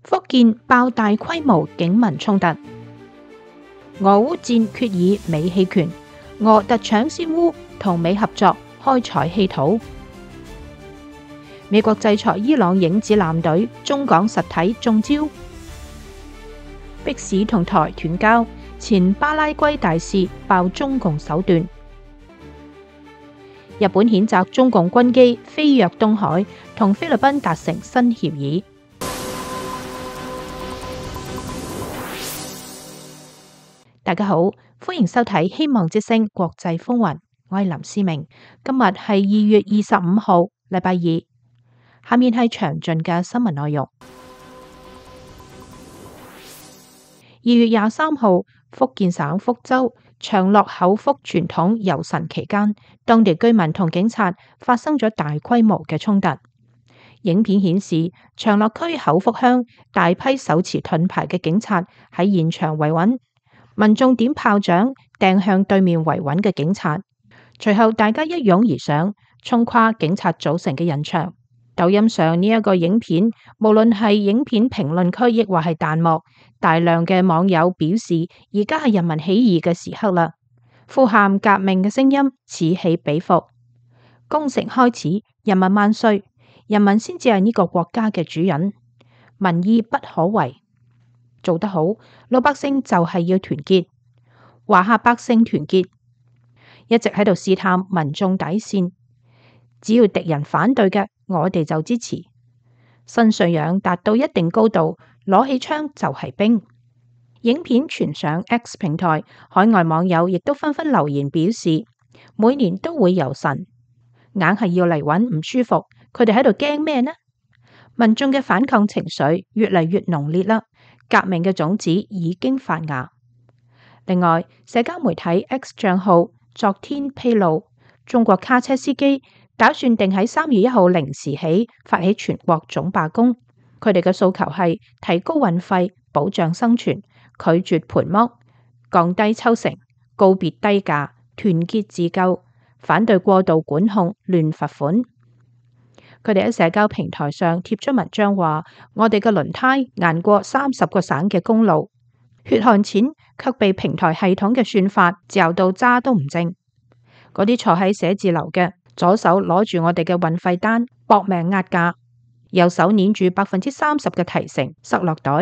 福建爆大規模警民衝突，俄烏戰決以美棄權，俄特搶先烏同美合作開採稀土。美國制裁伊朗影子艦隊，中港實體中招。迫使同台斷交，前巴拉圭大使爆中共手段。日本譴責中共軍機飛越東海，同菲律賓達成新協議。大家好，歡迎收睇希望之聲國際風雲，我係林思明。今日係2月25號，禮拜二。下面係詳盡嘅新聞內容。2月23號，福建省福州長樂口福傳統遊神期間，當地居民同警察發生咗大規模嘅衝突。影片顯示，長樂區口福鄉大批手持盾牌嘅警察喺現場維穩，民眾點炮仗掟向對面維穩嘅警察，隨後大家一擁而上，衝跨警察組成嘅人牆。抖音上呢一個影片，無論係影片評論區亦或係彈幕，大量嘅網友表示，而家係人民起義嘅時刻啦，呼喊革命嘅聲音此起彼伏。攻城開始，人民萬歲，人民先至係呢個國家嘅主人，民意不可違。做得好，老百姓就係要團結，華夏百姓團結，一直喺度試探民眾底線，只要敵人反對嘅，我哋就支持。新信仰達到一定高度，攞起槍就係兵。影片傳上 X 平台，海外網友亦都紛紛留言表示，每年都會遊神，硬係要嚟搵唔舒服，佢哋喺度驚咩呢？民眾嘅反抗情緒越嚟越濃烈啦，革命嘅種子已經發芽。另外，社交媒體 X 賬號昨天披露，中國卡車司機打算定喺3月1號零時起發起全國總罷工，佢哋嘅訴求係提高運費、保障生存、拒絕盤剝、降低抽成、告別低價、團結自救、反對過度管控、亂罰款。佢哋喺社交平台上貼咗文章話：我哋嘅輪胎硬過30個省嘅公路，血汗錢卻被平台系統嘅算法嚼到渣都唔剩。嗰啲坐喺寫字樓嘅，左手攞住我哋嘅運費單，搏命壓價，右手捏住30%嘅提成塞落袋，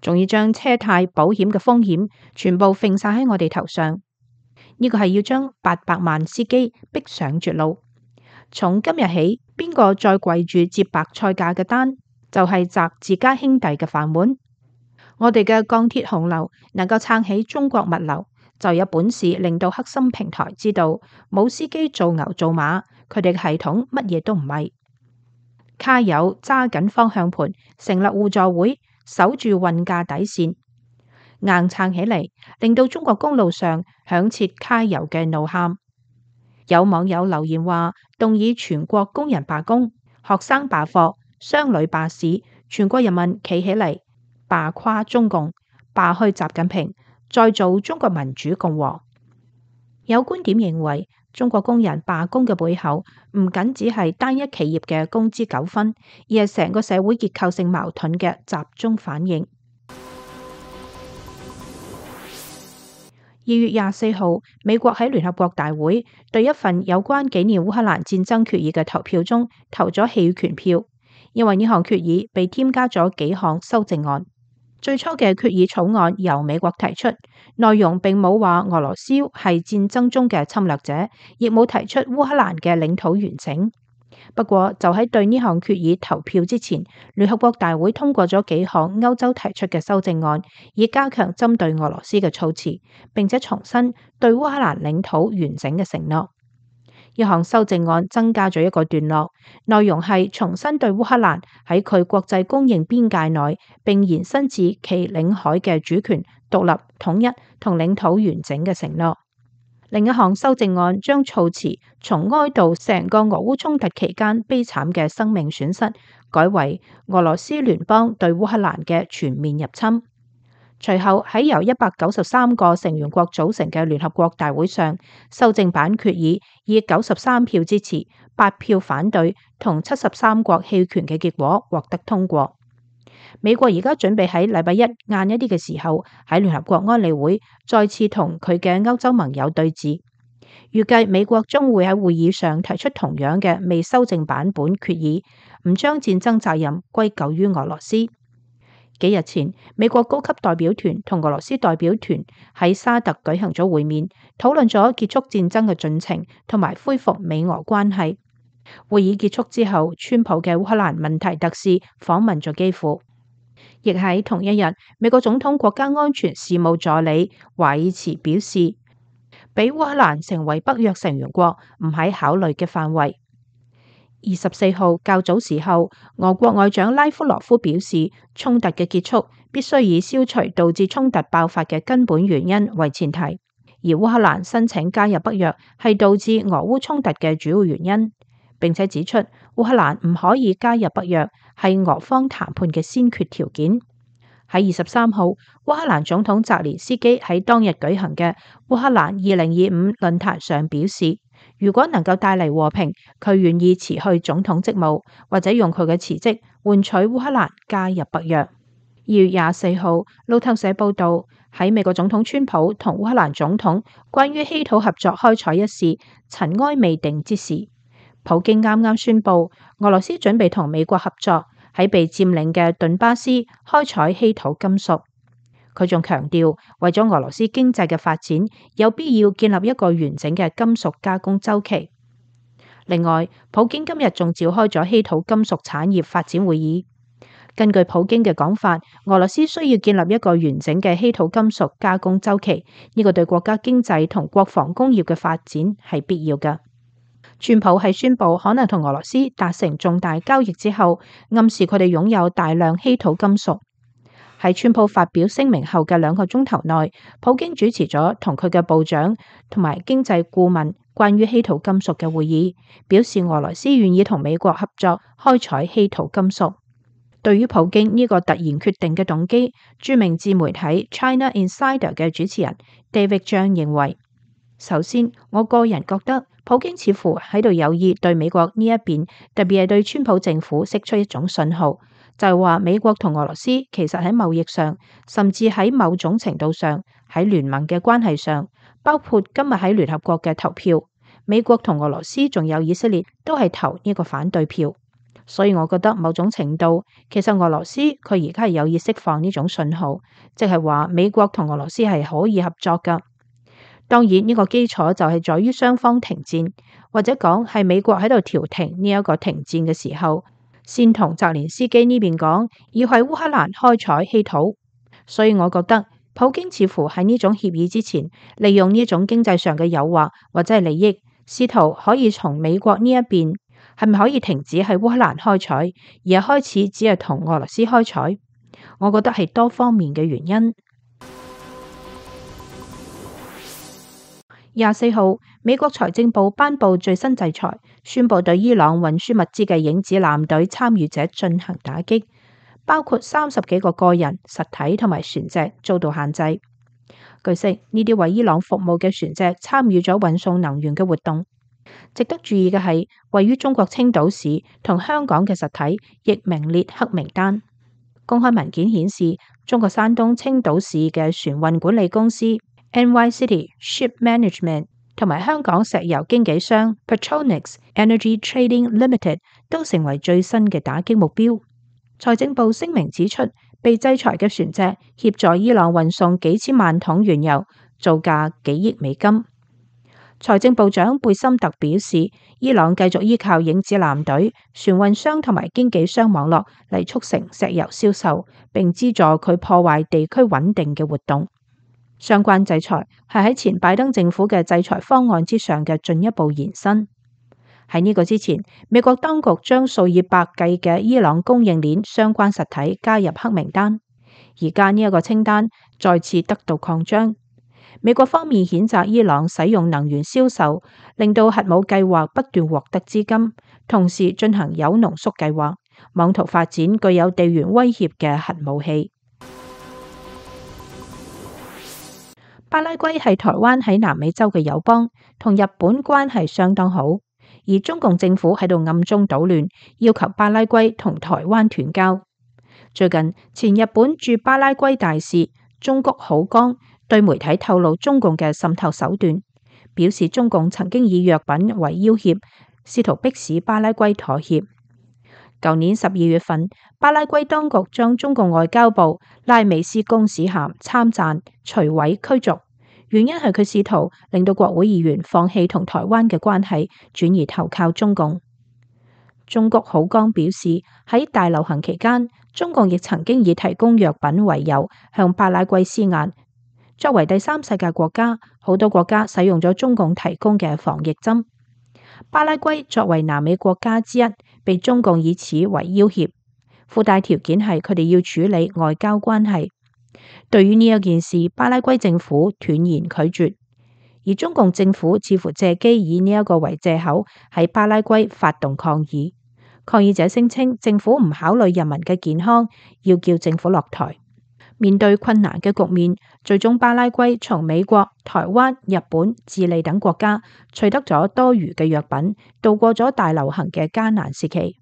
仲要將車貸保險嘅風險全部揈晒喺我哋頭上。呢個係要將800萬司機逼上絕路。從今日起，邊個再跪住接白菜價嘅單，就係砸自家兄弟嘅飯碗。我哋嘅鋼鐵洪流能夠撐起中國物流，就有本事令到黑心平台知道冇司機做牛做馬，佢哋嘅系統乜嘢都唔係。卡友揸緊方向盤，成立互助會，守住運價底線，硬撐起嚟，令到中國公路上響徹卡友嘅怒喊。有網友留言話，動議全國工人罷工、學生罷課、商旅罷市，全國人民企起嚟，罷垮中共，罷去習近平，再造中國民主共和。有觀點認為，中國工人罷工嘅背後唔僅只係單一企業嘅工資糾紛，而係成個社會結構性矛盾嘅集中反應。2月24號，美國喺聯合國大會對一份有關紀念烏克蘭戰爭決議嘅投票中投咗棄權票，因為呢項決議被添加咗幾項修正案。最初嘅決議草案由美國提出，內容並冇話俄羅斯係戰爭中嘅侵略者，亦冇提出烏克蘭嘅領土完整。不過就喺對呢項決議投票之前，聯合國大會通過咗幾項歐洲提出嘅修正案，以加強針對俄羅斯嘅措辭，並且重申對烏克蘭領土完整嘅承諾。一項修正案增加咗一個段落，內容係重新對烏克蘭喺佢國際公認邊界內，並延伸至其領海嘅主權、獨立、統一同領土完整嘅承諾。另一項修正案將措辭從哀悼成個俄烏衝突期間悲慘嘅生命損失，改為俄羅斯聯邦對烏克蘭嘅全面入侵。隨後喺由193個成員國組成嘅聯合國大會上，修正版決議以93票支持、8票反對同73國棄權嘅結果獲得通過。美國而家準備喺禮拜一晏一啲嘅時候喺聯合國安理會再次同佢嘅歐洲盟友對峙。預計美國將會喺會議上提出同樣嘅未修正版本決議，唔將戰爭責任歸咎於俄羅斯。幾日前，美國高級代表團同俄羅斯代表團喺沙特舉行咗會面，討論咗結束戰爭嘅進程同埋恢復美俄關係。會議結束之後，川普嘅烏克蘭問題特使訪問咗基輔。亦喺同一日，美國總統國家安全事務助理華爾茨表示，俾烏克蘭成為北約成員國唔喺考慮嘅範圍。24號較早時候，俄國外長拉夫羅夫表示，衝突嘅結束必須以消除導致衝突爆發嘅根本原因為前提，而烏克蘭申請加入北約係導致俄烏衝突嘅主要原因，並且指出烏克蘭唔可以加入北約係俄方談判嘅先決條件。喺23號，烏克蘭總統澤連斯基喺當日舉行嘅烏克蘭2025論壇上表示，如果能夠帶嚟和平，佢願意辭去總統職務，或者用佢嘅辭職換取烏克蘭加入北約。2月24號，路透社報道，喺美國總統川普同烏克蘭總統關於稀土合作開採一事塵埃未定之時，普京啱啱宣布俄羅斯準備同美國合作喺被佔領嘅頓巴斯開採稀土金屬。佢仲強調，為咗俄羅斯經濟嘅發展，有必要建立一個完整嘅金屬加工週期。另外，普京今日仲召開咗稀土金屬產業發展會議。根據普京嘅講法，俄羅斯需要建立一個完整嘅稀土金屬加工週期，呢個對國家經濟同國防工業嘅發展係必要嘅。川普喺宣布可能同俄羅斯達成重大交易之後，暗示佢哋擁有大量稀土金屬。喺川普發表聲明後嘅2個鐘頭內，普京主持咗同佢嘅部長同埋經濟顧問關於稀土金屬嘅會議，表示俄羅斯願意同美國合作開採稀土金屬。對於普京呢個突然決定嘅動機，著名自媒體 China Insider 嘅主持人 David Zhang 認為，首先，我個人覺得普京似乎喺度有意對美國呢一邊，特別係對川普政府釋出一種信號，就係話美國同俄羅斯其實喺貿易上，甚至喺某種程度上喺聯盟嘅關係上，包括今日喺聯合國嘅投票，美國同俄羅斯仲有以色列都係投呢個反對票。所以我覺得某種程度，其實俄羅斯佢而家係有意釋放呢種信號，即係話美國同俄羅斯係可以合作噶。當然呢個基礎就係在於雙方停戰，或者講係美國喺度調停呢一個停戰嘅時候，先同澤連斯基呢邊講要喺烏克蘭開採稀土。所以我覺得普京似乎喺呢種協議之前，利用呢種經濟上嘅誘惑或者係利益，試圖可以從美國呢一邊係咪可以停止喺烏克蘭開採，而係開始只係同俄羅斯開採。我覺得係多方面嘅原因。24號，美國財政部頒布最新制裁，宣布對伊朗運輸物資嘅影子艦隊參與者進行打擊，包括30幾個個人、實體同埋船隻遭到限制。據悉，呢啲為伊朗服務嘅船隻參與咗運送能源嘅活動。值得注意嘅係，位於中國青島市同香港嘅實體亦名列黑名單。公開文件顯示，中國山東青島市嘅船運管理公司 NY City Ship Management 同埋香港石油經紀商 Petronas Energy Trading Limited 都成為最新嘅打擊目標。財政部聲明指出，被制裁嘅船隻協助伊朗運送幾千萬桶原油，造價幾億美金。財政部長貝森特表示，伊朗繼續依靠影子艦隊、船運商同埋經紀商網絡嚟促成石油銷售，並資助佢破壞地區穩定嘅活動。相關制裁係喺前拜登政府嘅制裁方案之上嘅進一步延伸。喺呢個之前，美國當局將數以百計嘅伊朗供應鏈相關實體加入黑名單，而家呢一個清單再次得到擴張。美國方面譴責伊朗使用能源銷售，令到核武計劃不斷獲得資金，同時進行鈾濃縮計劃，妄圖發展具有地緣威脅嘅核武器。巴拉圭係台灣喺南美洲嘅友邦，同日本關係相當好，而中共政府喺度暗中搗亂，要求巴拉圭同台灣斷交。最近，前日本駐巴拉圭大使中谷好江對媒體透露中共嘅滲透手段，表示中共曾經以藥品為要挾，試圖迫使巴拉圭妥協。舊年12月份，巴拉圭當局將中共外交部拉美斯公使函參贊徐偉驅逐，原因係佢試圖令到國會議員放棄同台灣嘅關係，轉而投靠中共。中谷好江表示，喺大流行期間，中共亦曾經以提供藥品為由向巴拉圭施壓。作為第三世界國家，好多國家使用咗中共提供嘅防疫針。巴拉圭作為南美國家之一，被中共以此為要挾，附帶條件係佢哋要處理外交關係。對於呢一件事，巴拉圭政府斷然拒絕，而中共政府似乎借機以呢一個為借口喺巴拉圭發動抗議。抗議者聲稱政府唔考慮人民嘅健康，要叫政府落台。面對困難嘅局面，最終巴拉圭從美國、台灣、日本、智利等國家取得咗多餘嘅藥品，度過咗大流行嘅艱難時期。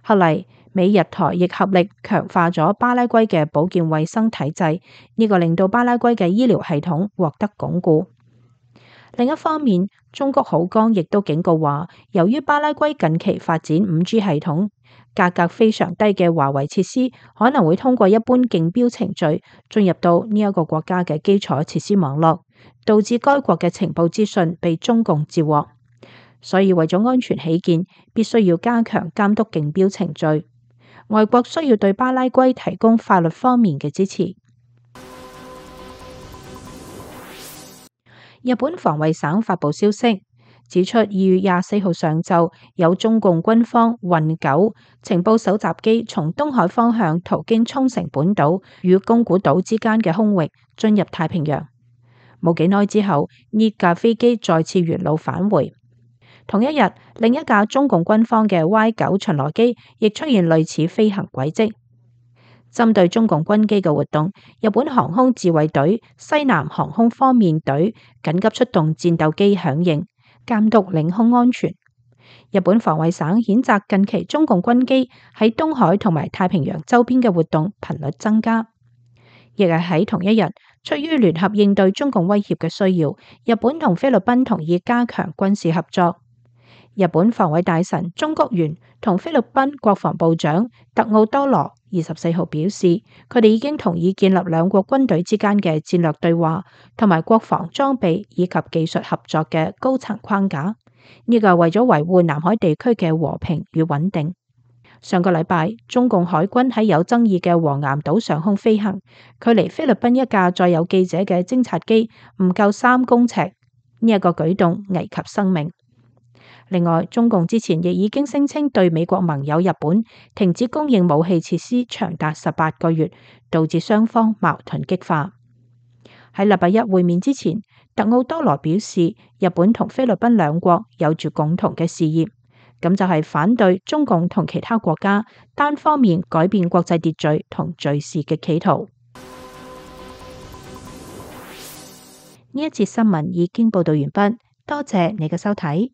後嚟，美日台亦合力強化咗巴拉圭嘅保健衛生體制，呢個令到巴拉圭嘅醫療系統獲得鞏固。另一方面，中谷好江亦都警告話，由於巴拉圭近期發展 5G 系統，價格非常低嘅華為設施可能會通過一般競標程序進入到呢一個國家嘅基礎設施網絡，導致該國嘅情報資訊被中共截獲。所以為咗安全起見，必須要加強監督競標程序。外國需要對巴拉圭提供法律方面嘅支持。日本防衛省發布消息，指出2月24號上晝有中共軍方運9情報搜集機從東海方向途經沖繩本島與宮古島之間嘅空域進入太平洋。冇幾耐之後，呢架飛機再次原路返回。同一日，另一架中共軍方嘅 Y9 巡邏機亦出現類似飛行軌跡。針對中共軍機嘅活動，日本航空自衛隊西南航空方面隊緊急出動戰鬥機響應，監督領空安全。日本防衛省譴責近期中共軍機喺東海同埋太平洋周邊嘅活動頻率增加。亦係喺同一日，出於聯合應對中共威脅嘅需要，日本同菲律賓同意加強軍事合作。日本防衛大臣中谷元同菲律賓國防部長特奧多羅24號表示，佢哋已經同意建立兩國軍隊之間嘅戰略對話同埋國防裝備以及技術合作嘅高層框架。呢個係為咗維護南海地區嘅和平與穩定。上個禮拜，中共海軍喺有爭議嘅黃岩島上空飛行，距離菲律賓一架載有記者嘅偵察機唔夠3公尺，呢一個舉動危及生命。另外，中共之前亦已經聲稱對美國盟友日本停止供應武器設施長達18個月，導致雙方矛盾激化。喺禮拜一會面之前，特奧多羅表示，日本同菲律賓兩國有住共同嘅事業，咁就係反對中共同其他國家單方面改變國際秩序同敘事嘅企圖。呢一節新聞已經報道完畢，多謝你嘅收睇。